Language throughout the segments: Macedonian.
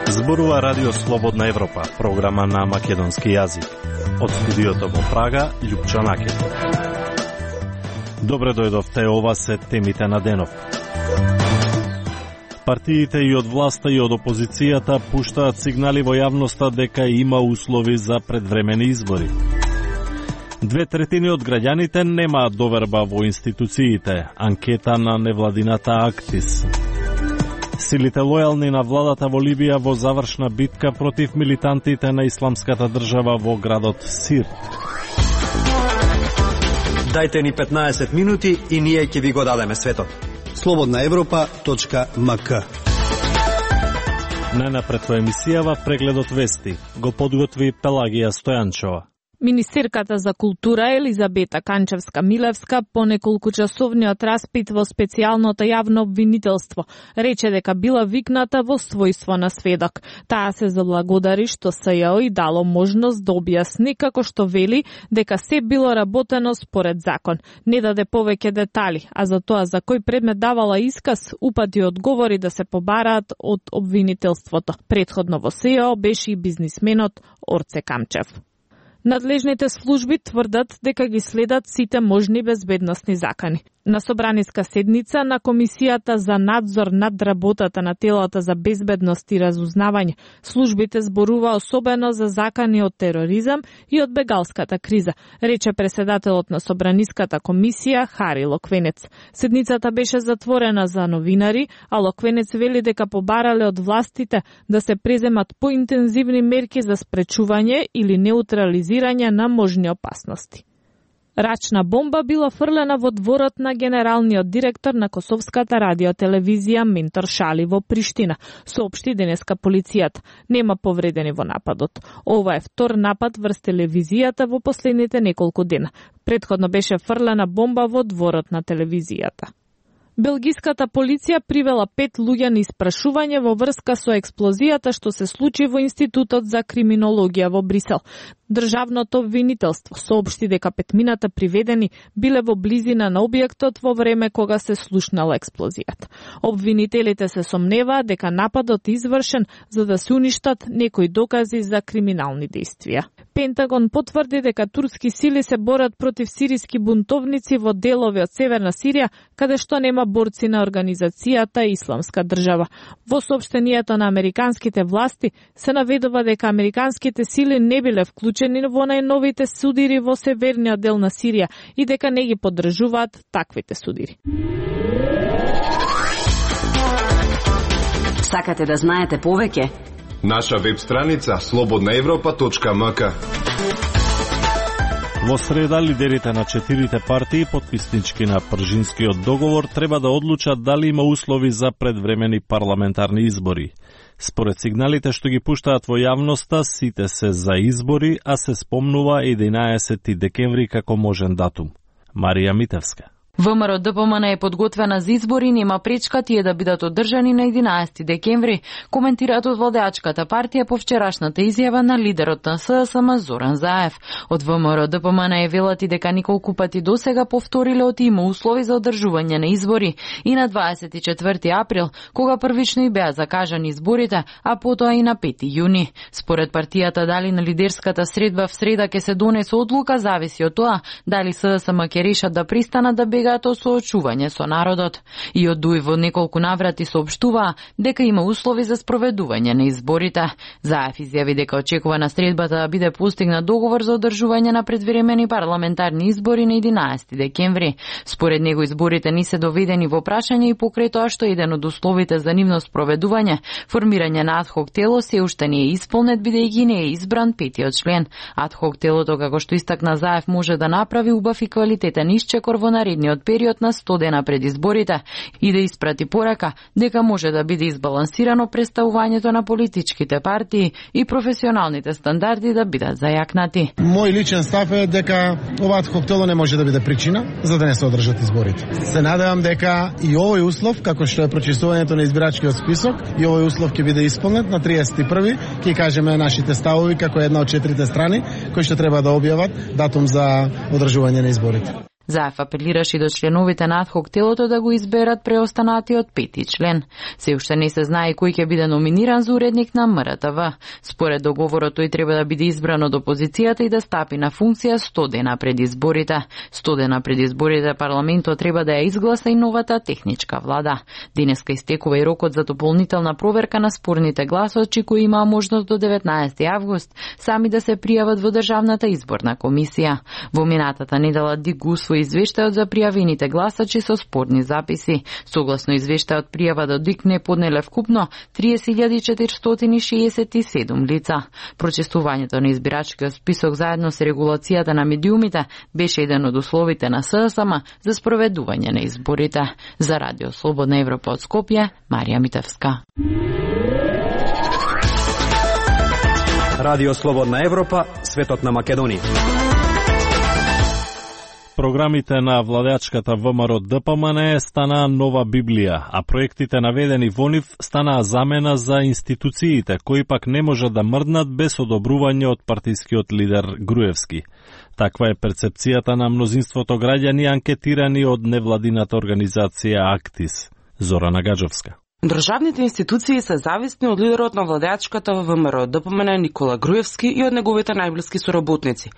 Зборува Радио Слободна Европа, програма на македонски јазик. Од студиото во Прага, Љупчо Накет. Добре дојдовте, ова се темите на денов. Партиите и од власта и од опозицијата пуштаат сигнали во јавноста дека има услови за предвремени избори. 2/3 од граѓаните немаат доверба во институциите. Анкета на невладината Актис. Силите лојални на владата во Либија во завршна битка против милитантите на исламската држава во градот Сирт. Дајте ни 15 минути и ние ќе ви го дадеме светот. slobodnaevropa.mk. Најнапред во емисијава прегледот вести го подготви Пелагија Стојанчова. Министерката за култура Елизабета Канчевска-Милевска по неколкучасовниот распит во специјалното јавно обвинителство рече дека била викната во својство на сведок. Таа се заблагодари што СЈО и дало можност да објасни како што вели дека се било работено според закон. Не даде повеќе детали, а за тоа за кој предмет давала исказ упати одговори да се побараат од обвинителството. Претходно во СЈО беше и бизнисменот Орце Камчев. Надлежните служби тврдат дека ги следат сите можни безбедносни закани. На собраниска седница на Комисијата за надзор над работата на телата за безбедност и разузнавање, службите зборува особено за закани од тероризам и од бегалската криза, рече преседателот на Собраниската комисија Хари Локвенец. Седницата беше затворена за новинари, а Локвенец вели дека побарале од властите да се преземат поинтензивни мерки за спречување или неутрализирање на можни опасности. Рачна бомба била фрлена во дворот на генералниот директор на Косовската радиотелевизија Ментор Шали во Приштина, соопшти денеска полицијата. Нема повредени во нападот. Ова е втор напад врз телевизијата во последните неколку дена. Претходно беше фрлена бомба во дворот на телевизијата. Белгиската полиција привела 5 луѓе на испрашување во врска со експлозијата што се случи во Институтот за криминологија во Брисел. Државното обвинителство соопшти дека 5 приведени биле во близина на објектот во време кога се слушнала експлозијата. Обвинителите се сомневаат дека нападот е извршен за да се уништат некои докази за криминални дејствија. Пентагон потврди дека турски сили се борат против сириски бунтовници во делови од Северна Сирија, каде што нема борци на организацијата Исламска држава. Во соопштението на американските власти се наведува дека американските сили не биле вклучени во најновите судири во северниот дел на Сирија и дека не ги поддржуваат таквите судири. Сакате да знаете повеќе? Наша веб страница slobodnaevropa.mk. Во среда, лидерите на 4 партии, потписнички на Пржинскиот договор, треба да одлучат дали има услови за предвремени парламентарни избори. Според сигналите што ги пуштаат во јавноста, сите се за избори, а се спомнува 11 декември како можен датум. Марија Митевска. ВМРО ДПМН е подготвена за избори, нема пречка тие да бидат одржани на 11 декември, коментираат од владеачката партија по вчерашната изјава на лидерот на ССМ Зоран Заев. Од ВМРО ДПМН е велат и дека неколку пати досега повториле од има услови за одржување на избори и на 24 април, кога првично и беа закажани изборите, а потоа и на 5 јуни. Според партијата, дали на лидерската средба в среда ќе се донесе одлука зависи од тоа дали ССМ ќе решат да пристанат да бегаат соочување со народот. И од ДУИ во неколку наврати соопштуваа дека има услови за спроведување на изборите. Заев изјави дека очекува на средбата да биде постигнат договор за одржување на предвремени парламентарни избори на 11 декември. Според него изборите не се доведени во прашање и покрај тоа што еден од условите за нивно спроведување, формирање на адхок тело, се уште не е исполнет бидејќи не е избран петиот член. Адхок телото, како што истакна Заев, може да направи убав и квалитетен исчекор во наредниот период на 100 дена пред изборите и да испрати порака дека може да биде избалансирано представувањето на политичките партии и професионалните стандарди да бидат зајакнати. Мој личен став е дека ова адхок тело не може да биде причина за да не се одржат изборите. Се надевам дека и овој услов, како што е прочистувањето на избирачкиот список, и овој услов ќе биде исполнет на 31-ви, ќе кажеме нашите ставови како една од 4 страни кои што треба да објават датум за одржување на изборите. Заев апелираше и до членовите на адхок телото да го изберат преостанатиот 5 член. Се уште не се знае кој ќе биде номиниран за уредник на МРТВ. Според договорот тој треба да биде избран од опозицијата и да стапи на функција 100 дена пред изборите. 100 дена пред изборите парламентот треба да ја изгласа и новата техничка влада. Денеска истекува и рокот за дополнителна проверка на спорните гласачи кои имаа можност до 19 август сами да се пријават во Државната изборна комисија. Во минатата недела ДИК го усвои извештајот за пријавените гласачи со спорни записи. Согласно извештајот пријава до ДИК не поднеле вкупно 30.467 лица. Прочистувањето на избирачкиот список заедно со регулацијата на медиумите беше еден од условите на ССМ за спроведување на изборите. За Радио Слободна Европа од Скопје, Марија Митевска. Радио Слободна Европа, светот на Македонија. Програмите на владеачката ВМРО ДПМН станаа нова Библија, а проектите наведени во нив станаа замена за институциите, кои пак не може да мрднат без одобрување од партискиот лидер Груевски. Таква е перцепцијата на мнозинството граѓани анкетирани од невладината организација Актис. Зорана Гаджовска. Државните институции се зависни од лидерот на владеачката во ВМРО ДПМН Никола Груевски и од неговите најблиски соработници.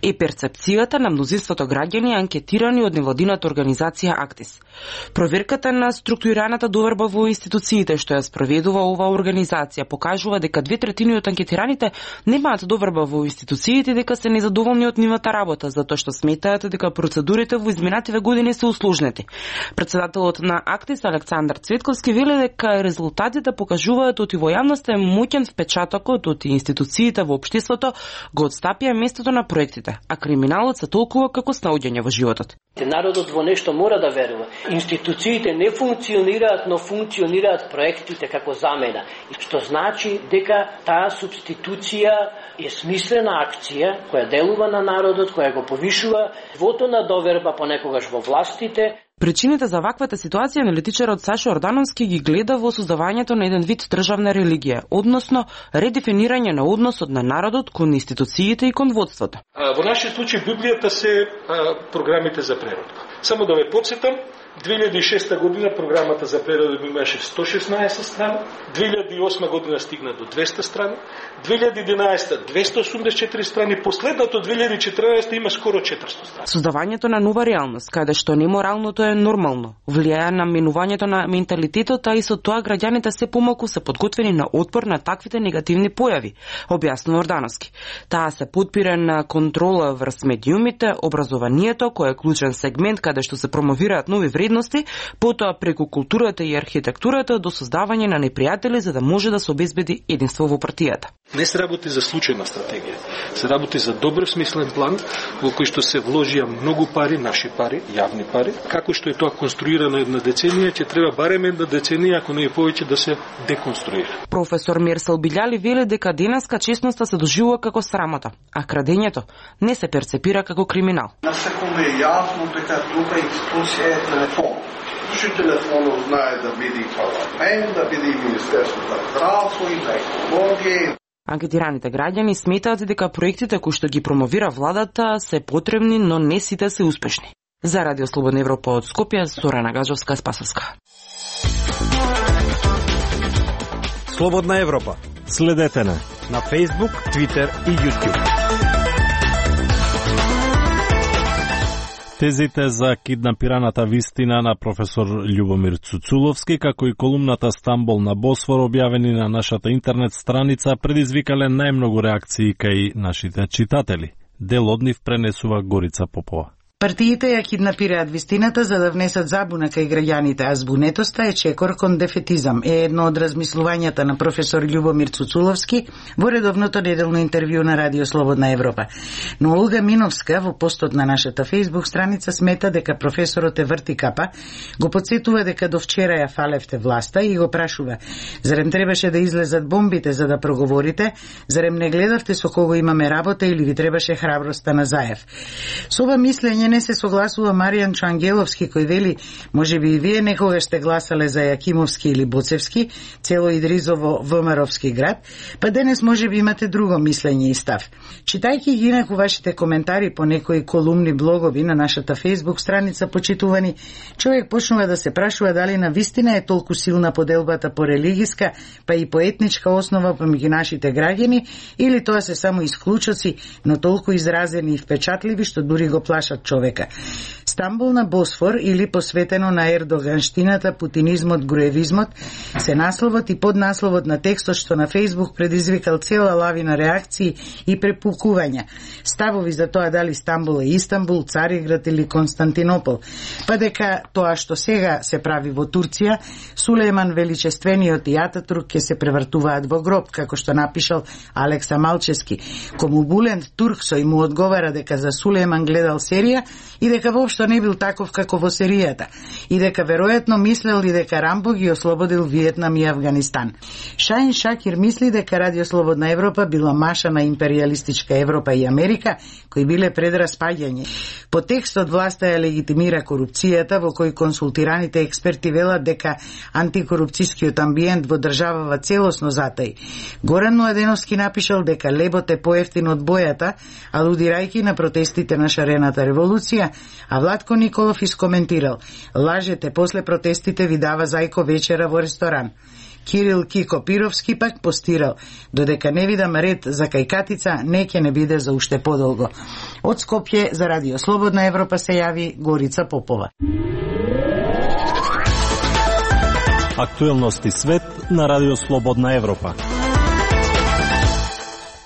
И перцепцијата на мнозинството граѓани анкетирани од невладината организација Актис. Проверката на структурираната доверба во институциите што ја спроведува оваа организација покажува дека 2/3 од анкетираните немаат доверба во институциите, дека се незадоволни од нивната работа, затоа што сметаат дека процедурите во изминативе години се усложнети. Председателот на Актис Александар Цветковски вели дека резултатите покажуваат оти во јавноста е моќен впечатокот од институциите во општеството го отстапија местото на проектите, а криминалот се толкува како снаоѓање во животот. Народот во нешто мора да верува. Институциите не функционираат, но функционираат проектите како замена. Што значи дека таа субституција е смислена акција која делува на народот, која го повишува нивото на доверба понекогаш во властите. Причините за ваквата ситуација аналитичарот Сашо Ордановски ги гледа во создавањето на еден вид државна религија, односно редефинирање на односот на народот кон институциите и кон водството. Во нашиот случај Библијата се програмите за преродба. Само да ве потсетам, 2006 година програмата за преродба имаше 116 страни, 2008 година стигна до 200 страни, 2011 284 страни, последното 2014 има скоро 400 страни. Создавањето на нова реалност, каде што неморалното е нормално, влијае на менувањето на менталитетот, а и со тоа граѓаните се помалку се подготвени на отпор на таквите негативни појави, објаснува Ордановски. Таа се подпира на контрола врз медиумите, образованието, кој е клучен сегмент каде што се промовираат нови вредности, потоа преку културата и архитектурата до создавање на непријатели за да може да се обезбеди единство во партијата. Не се работи за случајна стратегија, се работи за добро смислен план во кој што се вложија многу пари, наши пари, јавни пари. Како што е тоа конструирано една деценија, ќе треба барем една деценија, ако не е повеќе, да се деконструира. Професор Мерсел Билјали вели дека денеска честноста се доживува како срамота, а крадењето не се перцепира како криминал. На секој е јасно дека тука институција е телефон. Што телефонот знае да биде парламент, да биде Министерство за здравство и за екологија. Анкетираните граѓани сметаат дека проектите кои што ги промовира владата се потребни, но не сите се успешни. За Радио Слободна Европа од Скопје, Зорана Гаджовска, Спасовска. Слободна Европа. Следете на Facebook, Twitter и YouTube. Тезите за киднапираната вистина на професор Љубомир Цуцуловски, како и колумната Стамбол на Босфор, објавени на нашата интернет страница, предизвикале најмногу реакции кај нашите читатели. Дел од нив пренесува Горица Попова. Партиите ја киднапираат вистината за да внесат забуна кај граѓаните, а збунетоста е чекор кон дефетизам, е едно од размислувањата на професор Љубомир Цуцуловски во редовното неделно интервју на Радио Слободна Европа. Но Олга Миновска во постот на нашата Facebook страница смета дека професорот е врти капа, го подсетува дека до вчера ја фалевте власта и го прашува: зарем требаше да излезат бомбите за да проговорите, зарем не гледавте со кого имаме работа или ви требаше храброста на Заев? Со ова мислење мене се согласува Маријан Чангеловски, кој вели: можеби и вие некогаш сте гласале за Јакимовски или Боцевски, цело Идризово ВМРО-вски град, па денес можеби имате друго мислење и став. Читајќи ги инаку вашите коментари по некои колумни блогови на нашата Facebook страница, почитувани, човек почнува да се прашува дали на вистина е толку силна поделбата по религиска, па и по етничка основа помеѓу нашите граѓани, или тоа се само исклучоци, но толку изразени и впечатливи што дури го плашат човека. Стамбул на Босфор или посветено на ердоганштината, путинизмот, груевизмот се насловот и поднасловот на текстот што на Facebook предизвикал цела лавина реакции и препукувања. Ставови за тоа дали Стамбул е Истанбул, Цариград или Константинопол. Па дека тоа што сега се прави во Турција, Сулејман Величествениот и Ататурк ќе се превртуваат во гроб, како што напишал Алекса Малчевски. Кому Булент Турксој му одговара дека за Сулејман гледал серија и дека воопшто не бил таков како во серијата, и дека веројатно мислел и дека Рамбо ги ослободил Виетнам и Авганистан. Шаин Шакир мисли дека Радио Слободна Европа била маша на империалистичка Европа и Америка, кои биле пред распаѓање. По текстот власта ја легитимира корупцијата, во кој консултираните експерти велат дека антикорупцијскиот амбиент во државава целосно затај. Горан Младеновски напишал дека лебот е поевтин од бојата, алудирајќи на протестите на шарената револуција, а Владко Николов искоментирал: лажете, после протестите ви дава зајко вечера во ресторан. Кирил Кико Пировски пак постирал: додека не видам ред за кајкатица, не ќе не биде за уште подолго. Од Скопје за Радио Слободна Европа се јави Горица Попова. Актуелности свет на Радио Слободна Европа.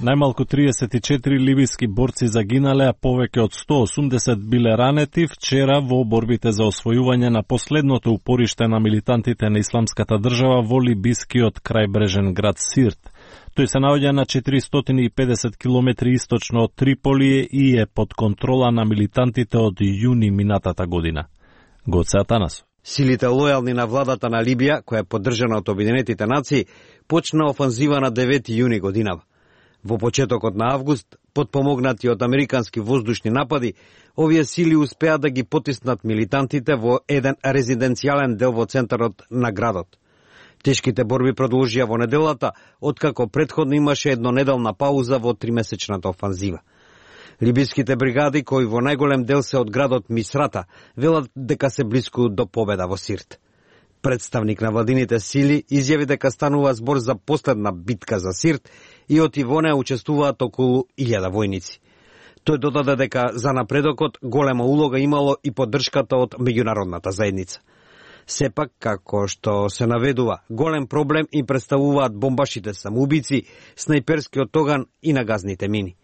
Најмалку 34 либиски борци загинале, а повеќе од 180 биле ранети вчера во борбите за освојување на последното упориште на милитантите на Исламската држава во либискиот крајбрежен град Сирт. Тој се наоѓа на 450 км источно од Триполи и е под контрола на милитантите од јуни минатата година. Гоце Атанасов. Силите лојални на владата на Либија, која е поддржана од Обединетите нации, почна офанзива на 9 јуни годинава. Во почетокот на август, подпомогнати од американски воздушни напади, овие сили успеа да ги потиснат милитантите во еден резиденцијален дел во центарот на градот. Тешките борби продолжија во неделата, откако претходно имаше еднонеделна пауза во 3-месечната офанзива. Либиските бригади, кои во најголем дел се од градот Мисрата, велат дека се блиску до победа во Сирт. Представник на владините сили изјави дека станува збор за последна битка за Сирт и од во неа учествуваат околу 1000 војници. Тој додаде дека за напредокот голема улога имало и поддршката од меѓународната заедница. Сепак, како што се наведува, голем проблем им представуваат бомбашите самоубици, снајперскиот оган и нагазните мини.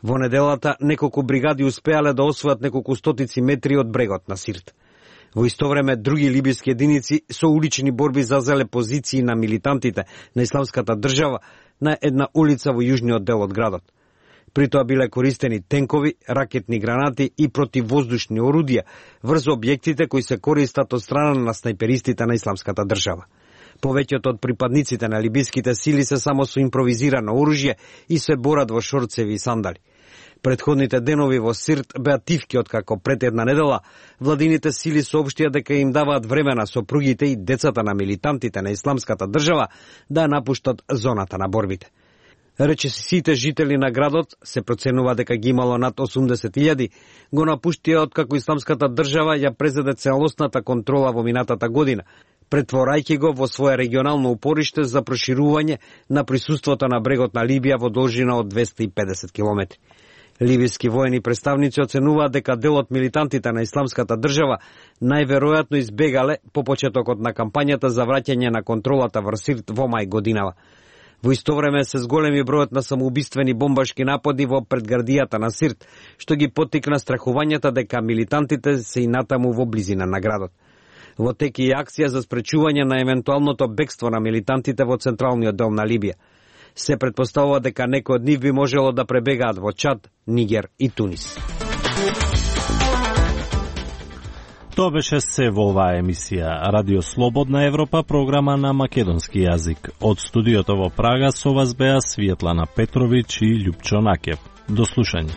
Во неделата неколку бригади успеале да освојат неколку стотици метри од брегот на Сирт. Во исто време, други либиски единици со улични борби зазеле позиции на милитантите на Исламската држава на една улица во јужниот дел од градот. При тоа биле користени тенкови, ракетни гранати и противвоздушни орудија врз објектите кои се користат од страна на снајперистите на Исламската држава. Повеќето од припадниците на либиските сили се само со импровизирано оружје и се борат во шорцеви и сандали. Предходните денови во Сирт беа тивки, откако пред една недела владините сили соопштија дека им даваат време на сопругите и децата на милитантите на Исламската држава да напуштат зоната на борбите. Рече сите жители на градот, се проценува дека ги имало над 80.000, го напуштија откако Исламската држава ја презеде целосната контрола во минатата година, претворајќи го во свое регионално упориште за проширување на присуството на брегот на Либија во должина од 250 км. Либиски воени представници оценуваат дека дел од милитантите на Исламската држава најверојатно избегале по почетокот на кампањата за враќање на контролата врз Сирт во мај годинава. Во исто време се зголеми бројот на самоубиствени бомбашки напади во предградијата на Сирт, што ги поттикна страхувањата дека милитантите се и натаму во близина на градот. Во тек и акција за спречување на евентуалното бегство на милитантите во централниот дел на Либија. Се претпоставува дека некои од нив би можело да пребегаат во Чад, Нигер и Тунис. Тоа беше се во оваа емисија. Радио Слободна Европа, програма на македонски јазик. Од студиото во Прага со вас беа Светлана Петровиќ и Љупчо Накев. До слушање.